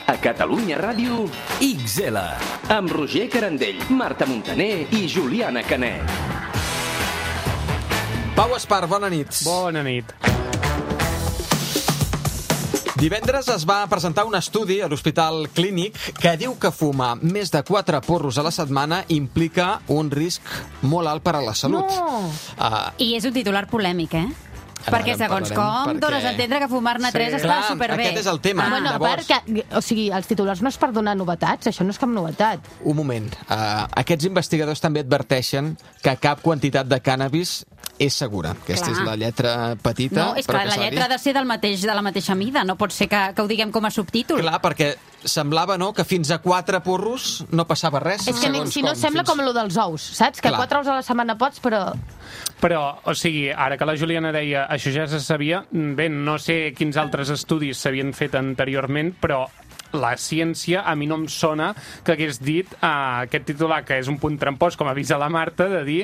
A Catalunya Ràdio, XL. Amb Roger Carandell, Marta Montaner i Juliana Canet. Pau Espar, bona nit. Bona nit. Divendres es va presentar un estudi a l'Hospital Clínic que diu que fumar més de 4 porros a la setmana implica un risc molt alt per a la salut. No! I és un titular polèmic, Perquè segons com dones a entendre que fumar-ne 3 està superbé. Aquest és el tema. Els titulars no és per donar novetats, això no és cap novetat. Un moment. Aquests investigadors també adverteixen que cap quantitat de cànnabis és segura. Aquesta és la lletra petita. No, és que la lletra ha de ser de la mateixa mida. No pot ser que ho diguem com a subtítol. Clar, perquè semblava, no?, que fins a 4 porros no passava res. És que si no sembla com lo dels ous, saps? Que 4 ous a la setmana pots, però... Però, o sigui, ara que la Juliana deia això ja se sabia, bé, no sé quins altres estudis s'havien fet anteriorment, però la ciència a mi no em sona que hagués dit aquest titular, que és un punt trampós, com avisa la Marta, de dir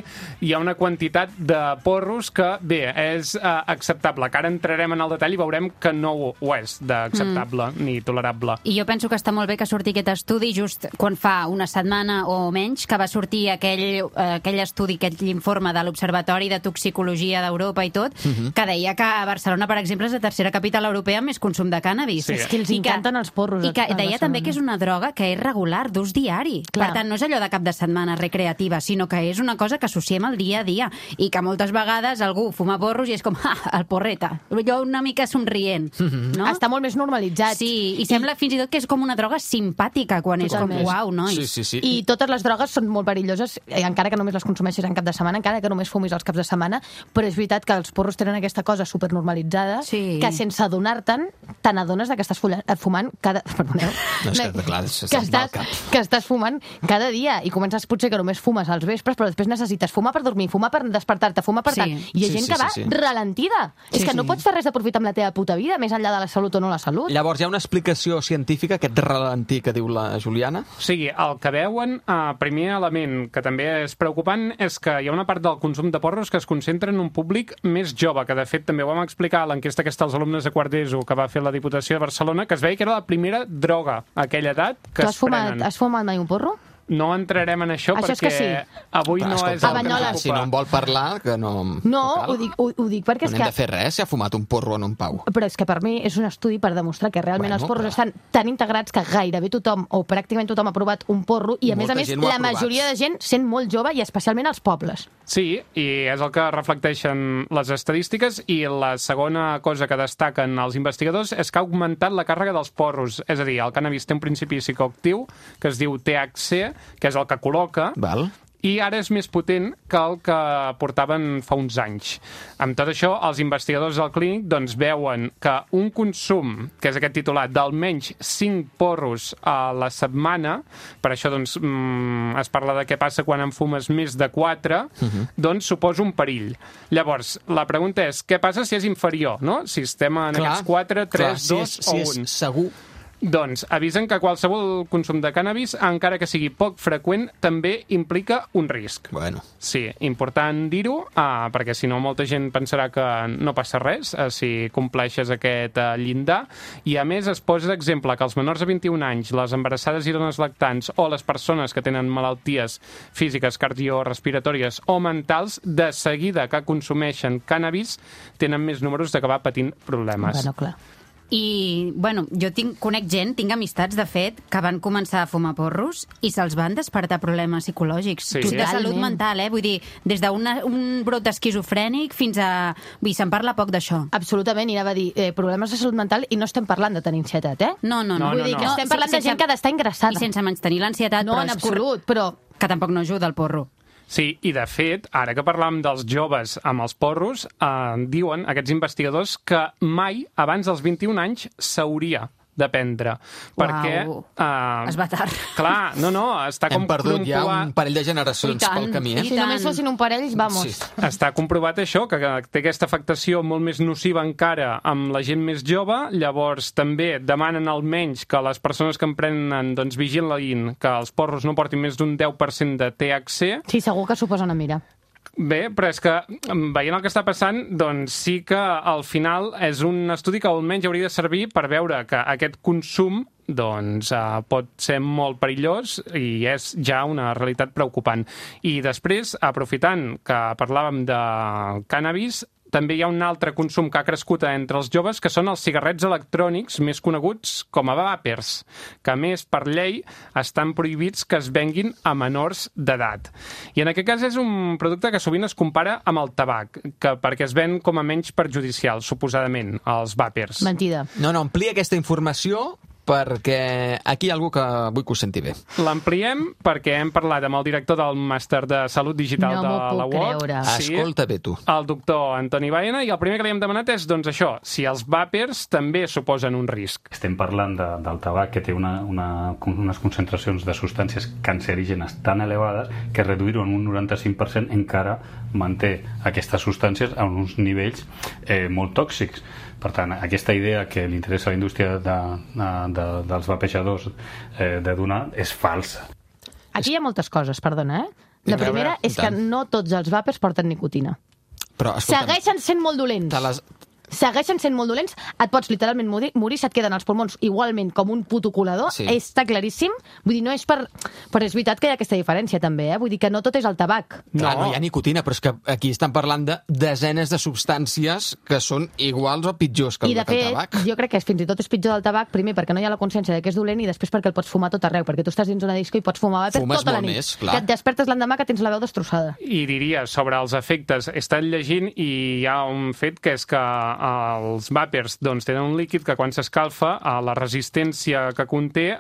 hi ha una quantitat de porros que, bé, és acceptable, que ara entrarem en el detall i veurem que no ho és d'acceptable ni tolerable. I jo penso que està molt bé que surti aquest estudi just quan fa una setmana o menys que va sortir aquell estudi, aquell informe de l'Observatori de Toxicologia d'Europa i tot, que deia que a Barcelona, per exemple, és la tercera capital europea amb més consum de cànnabis. Sí. És que els encanten els porros. I que deia també que és una droga que és regular, d'ús diari. Per tant, no és allò de cap de setmana recreativa, sinó que és una cosa que associem al dia a dia i que moltes vegades algú fuma porros i és com, el porreta. Jo una mica somrient. No? Està molt més normalitzat. Sí, i sembla fins i tot que és com una droga simpàtica quan és com, uau, nois. Sí. I totes les drogues són molt perilloses, encara que només les consumeixis en cap de setmana, encara que només fumis els caps de setmana, però és veritat que els porros tenen aquesta cosa supernormalitzada que sense adonar-te'n, te n'adones que estàs fumant cada... No, és que, clar, que estàs fumant cada dia i comences potser que només fumes als vespres, però després necessites fumar per dormir, fumar per despertar-te, fumar per tant. I hi ha gent que va ralentida. És que no pots fer res de profit amb la teva puta vida, més enllà de la salut o no la salut. Llavors, hi ha una explicació científica, aquest ralentí que diu la Juliana? O sigui, el que veuen, primer element que també és preocupant, és que hi ha una part del consum de porros que es concentra en un públic més jove, que de fet també ho vam explicar a l'enquesta que està als alumnes de quart d'ESO que va fer la Diputació de Barcelona, que es veia que era la primera droga a aquella edat que es prenen. Has fumat mai un porro? No entrarem en això perquè és que avui no és el que ens ocupa. Si no en vol parlar, que no... No, ho dic perquè és que... No hem de fer res si ha fumat un porro en un Pau. Però és que per mi és un estudi per demostrar que realment els porros estan tan integrats que gairebé tothom, o pràcticament tothom, ha provat un porro i a més la majoria de gent sent molt jove i especialment als pobles. Sí, i és el que reflecteixen les estadístiques i la segona cosa que destaquen els investigadors és que ha augmentat la càrrega dels porros. És a dir, el cànnabis té un principi psicoactiu que es diu THC, que és el que col·loca, i ara és més potent que el que portaven fa uns anys. Amb tot això, els investigadors del clínic doncs, veuen que un consum, que és aquest titular, d'almenys 5 porros a la setmana, per això doncs, es parla de què passa quan en fumes més de 4, doncs suposa un perill. Llavors, la pregunta és, què passa si és inferior, no? Si estem en aquests 4, 3, 2 o 1. Si és segur... Doncs avisen que qualsevol consum de cànnabis, encara que sigui poc freqüent, també implica un risc. Bueno. Sí, important dir-ho, perquè si no molta gent pensarà que no passa res si compleixes aquest llindar. I a més es posa d'exemple que els menors de 21 anys, les embarassades i dones lactants o les persones que tenen malalties físiques, cardiorrespiratòries o mentals, de seguida que consumeixen cànnabis, tenen més números d'acabar patint problemes. Bueno, clar. I, bueno, jo conec gent, tinc amistats, de fet, que van començar a fumar porros i se'ls van despertar problemes psicològics. Sí. De salut mental, Vull dir, des d'un brot esquizofrènic fins a... Vull dir, se'n parla poc d'això. Absolutament, i anava a dir, problemes de salut mental, i no estem parlant de tenir ansietat, No. Vull dir que estem parlant de gent que ha d'estar ingressada. I sense menys tenir l'ansietat, però en absolut, però... Que tampoc no ajuda el porro. Sí, i de fet, ara que parlàvem dels joves amb els porros, diuen aquests investigadors que mai, abans dels 21 anys, s'hauria de prendre. Perquè... Es va tard. Clar, no, està com hem perdut ja un parell de generacions pel camí. Si només fossin un parell, vamos. Sí. Està comprovat això, que té aquesta afectació molt més nociva encara amb la gent més jove. Llavors també demanen almenys que les persones que en prenen doncs, vigilin que els porros no portin més d'un 10% de THC. Sí, segur que s'ho posen a mirar. Bé, però és que, veient el que està passant, doncs sí que al final és un estudi que almenys hauria de servir per veure que aquest consum doncs pot ser molt perillós i és ja una realitat preocupant. I després, aprofitant que parlàvem de cànnabis, també hi ha un altre consum que ha crescut entre els joves, que són els cigarrets electrònics, més coneguts com a vàpers, que a més, per llei, estan prohibits que es venguin a menors d'edat. I en aquest cas és un producte que sovint es compara amb el tabac, perquè es ven com a menys perjudicial, suposadament, els vàpers. Mentida. No, amplia aquesta informació perquè aquí hi ha algú que vull que ho senti bé. L'ampliem perquè hem parlat amb el director del Màster de Salut Digital de la UOC. Sí, escolta bé tu. El doctor Antoni Baena, i el primer que li hem demanat és, doncs això, si els vàpers també suposen un risc. Estem parlant del tabac que té unes concentracions de substàncies cancerígenes tan elevades que reduir-ho en un 95% encara manté aquestes substàncies a uns nivells molt tòxics. Per tant, aquesta idea que li interessa a la indústria dels vapejadors de donar és falsa. Aquí hi ha moltes coses, perdona, La primera és que no tots els vàpers porten nicotina. Però, escolta'm, segueixen sent molt dolents. Segueixen sent molt dolents, et pots literalment morir, se't queden els pulmons igualment com un puto colador, està claríssim. Vull dir, no és per... Però és veritat que hi ha aquesta diferència, també, Vull dir que no tot és el tabac. No hi ha nicotina, però és que aquí estan parlant de desenes de substàncies que són iguals o pitjors que el tabac. I, de fet, jo crec que fins i tot és pitjor del tabac, primer perquè no hi ha la consciència de que és dolent i després perquè el pots fumar tot arreu, perquè tu estàs dins una disco i pots fumar vàper tota la nit. Més, clar. Que et despertes l'endemà que tens la veu destrossada. I diria, sobre els efectes, he estat llegint i hi ha un fet que és que els vàpers tenen un líquid que quan s'escalfa, la resistència que conté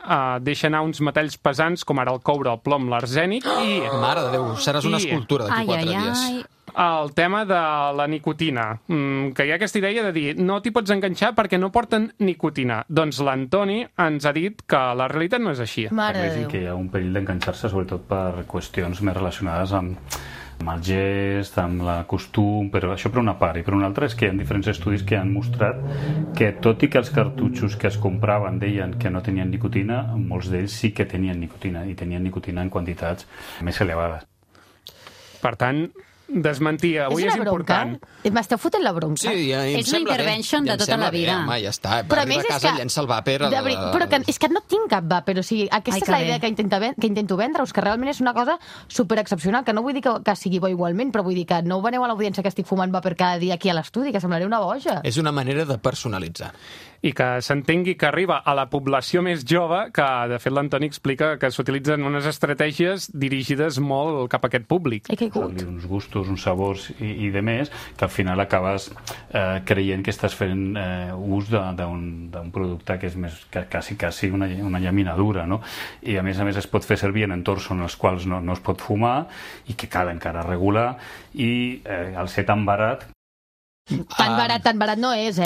deixa anar uns metalls pesants com ara el coure, el plom, l'arsènic i... Mare de Déu, seràs una escultura d'aquí 4 dies. El tema de la nicotina, que hi ha aquesta idea de dir no t'hi pots enganxar perquè no porten nicotina. Doncs l'Antoni ens ha dit que la realitat no és així. Mare de Déu. Que hi ha un perill d'enganxar-se, sobretot per qüestions més relacionades amb el gest, amb el costum, però això per una part. I per una altra és que hi ha diferents estudis que han mostrat que tot i que els cartutxos que es compraven deien que no tenien nicotina, molts d'ells sí que tenien nicotina, i tenien nicotina en quantitats més elevades. Per tant, desmentir avui és important. M'esteu fotent la bronca? Sí, és una intervention de tota la vida. Home, ja està. Va arribar a casa i llença el vàper. Però és que no tinc cap vàper. O sigui, aquesta és la idea que intento vendre-us, que realment és una cosa superexcepcional, que no vull dir que sigui bo igualment, però vull dir que no ho veneu a l'audiència que estic fumant vàper cada dia aquí a l'estudi, que semblaré una boja. És una manera de personalitzar. I que s'entengui que arriba a la població més jove, que de fet l'Antoni explica que s'utilitzen unes estratègies dirigides molt cap a aquest públic. Uns gustos, uns sabors i de més, que al final acabes creient que estàs fent ús d'un producte que és més quasi una llaminadura, no? I a més es pot fer servir en entorns en els quals no es pot fumar i que cal encara regular, i al ser tan barat... Tan barat no és,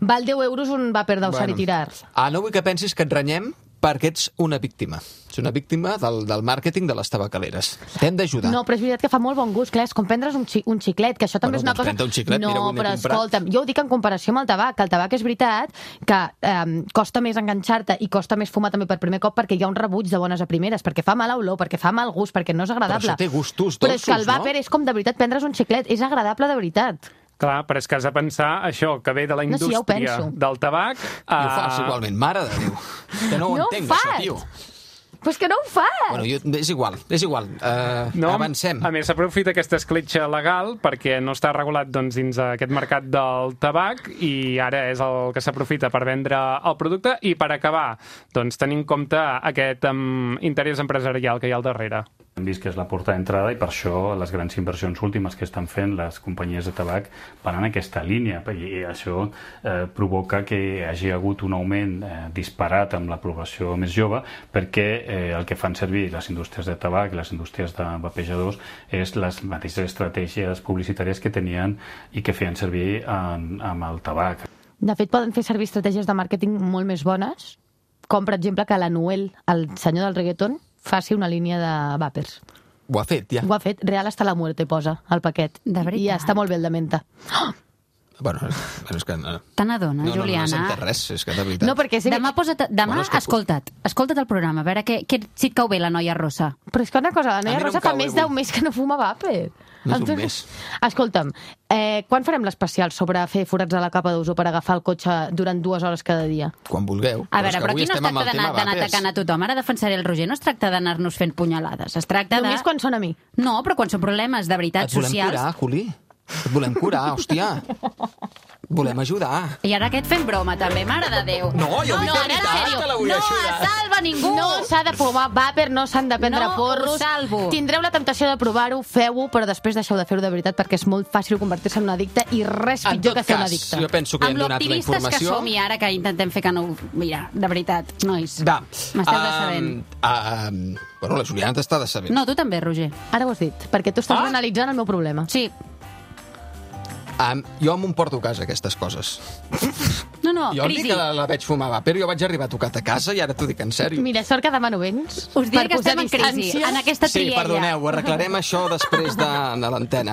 Val 10 euros un vàper d'usar i tirar. No vull que pensis que et renyem perquè ets una víctima. Ets una víctima del màrqueting de les tabacaleres. T'hem d'ajudar. No, però és veritat que fa molt bon gust. Clar, és com prendre's un xiclet, que això també és una cosa... Un xiclet, no, mira, però escolta'm, jo ho dic en comparació amb el tabac, que el tabac és veritat que costa més enganxar-te i costa més fumar també per primer cop perquè hi ha un rebuig de bones a primeres, perquè fa mala olor, perquè fa mal gust, perquè no és agradable. Però això té gustos dolços, però és que el vàper és com de veritat prendre's un xiclet, és agradable de veritat. Clar, però és que has de pensar això, que ve de la indústria del tabac... I ho fas igualment, mare de Déu. Que no ho entenc, això, tio. Però és que no ho fas! Bueno, és igual. Avancem. A més, s'aprofita aquesta escletxa legal perquè no està regulat dins aquest mercat del tabac i ara és el que s'aprofita per vendre el producte i per acabar, tenint en compte aquest interès empresarial que hi ha al darrere. Hem vist que és la porta d'entrada i per això les grans inversions últimes que estan fent les companyies de tabac van en aquesta línia, i això provoca que hi hagi hagut un augment disparat amb la població més jove, perquè el que fan servir les indústries de tabac i les indústries de vapejadors és les mateixes estratègies publicitàries que tenien i que feien servir amb el tabac. De fet, poden fer servir estratègies de màrqueting molt més bones, com per exemple que l'Anuel, el senyor del reggaeton, faci una línia de vàpers. Ho ha fet, ja. Ho ha fet. Real hasta la muerte posa al paquet. De veritat. I ja està molt bé el de menta. Bueno, és que no. Te n'adona, Juliana? No sento res, és que de veritat. No, perquè Demà escolta't el programa, a veure si et cau bé la noia rossa. Però és que una cosa, la noia no rossa em fa cau més avui. d'un mes que no fuma vàper. No és un mes. Escolta'm, quan farem l'especial sobre fer forats a la capa d'ozó per agafar el cotxe durant 2 hores cada dia? Quan vulgueu. A veure, però avui aquí no es estem amb tracta el tema d'anar vapers. atacant a tothom. Ara defensaré el Roger. No es tracta d'anar-nos fent punyalades. Es tracta de... Només quan són a mi. No, però quan són problemes de veritat Et volem socials... curar, Juli. Et volem curar, hòstia. Et volem ajudar. I ara aquest fent broma, també, mare de Déu. No, jo vull de ara, en veritat sèrio, que la vull no ajudar. es salva ningú. No s'ha de fumar vàper, no s'han de prendre No porros. ho salvo. Tindreu la temptació de provar-ho, feu-ho, però després deixeu de fer-ho de veritat perquè és molt fàcil convertir-se en un addicte i res En pitjor tot que ser un cas, addicte. jo penso que Amb hem donat la l'optimistes que informació. som i ara que intentem fer que no... Mira, de veritat, nois. Va. M'esteu decebent. Bueno, la Juliana t'està decebent. No, tu també, Roger. Ara ho has dit, perquè tu estàs analitzant el meu problema. Sí. Jo m'ho porto a casa, aquestes coses. No, Jo crisi. dic que la veig fumar vàper, jo vaig arribar tocat a casa i ara t'ho dic en sèrio. Mira, sort que demà no vens. Us diré per que posar estem en crisi, distància. en aquesta Sí, triella. perdoneu, arreglarem això després de l'antena.